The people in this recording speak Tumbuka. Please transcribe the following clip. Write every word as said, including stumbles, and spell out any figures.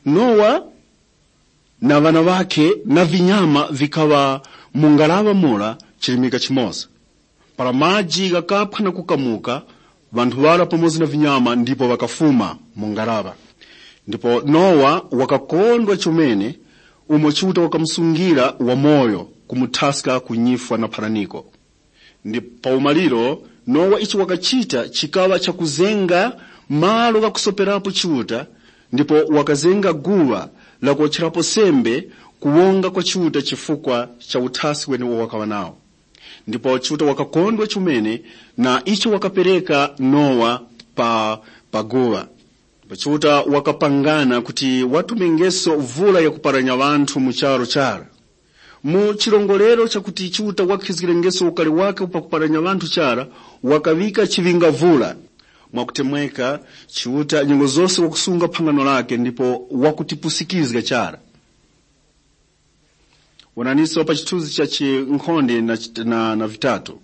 Nowa na ŵana ŵakhe na vinyama vikaŵa mu ngaraŵa mura chirimika chimoza. Para maji ghakaphwa na kukamuka, ŵanthu ŵara pamoza na vinyama ndipo ŵakafuma mu ngaraŵa. Ndipo Nowa wakakondwa chomene umo Chiuta wakamusungira wamoyo kumuthaska ku nyifwa na pharaniko. Ndipo pa umaliro, Nowa icho wakachita chikaŵa chakuzenga malo ghakusoperapo Chiuta, ndipo wakazenga guŵa la kuwotcherapo sembe kuwonga kwa Chiuta chifukwa cha uthaski wenewo wakaŵa nawo. Ndipo Chiuta wakakondwa chomene na icho wakapereka Nowa pa, pa guŵa. Ndipo Chiuta wakapangana kuti watumengeso vula yakuparanya ŵanthu mu charu chara. Mu chirongorero chakuti Chiuta wakhizgirengeso ukari wake pakuparanya ŵanthu chara, wakaŵika chiŵingavula. Mwakutemweka, Chiuta nyengo zose wakusunga phangano lake ndipo wakutipusikizga chara. Wonaniso pa chithunzi cha chinkhonde na, chit- na, na vitatu.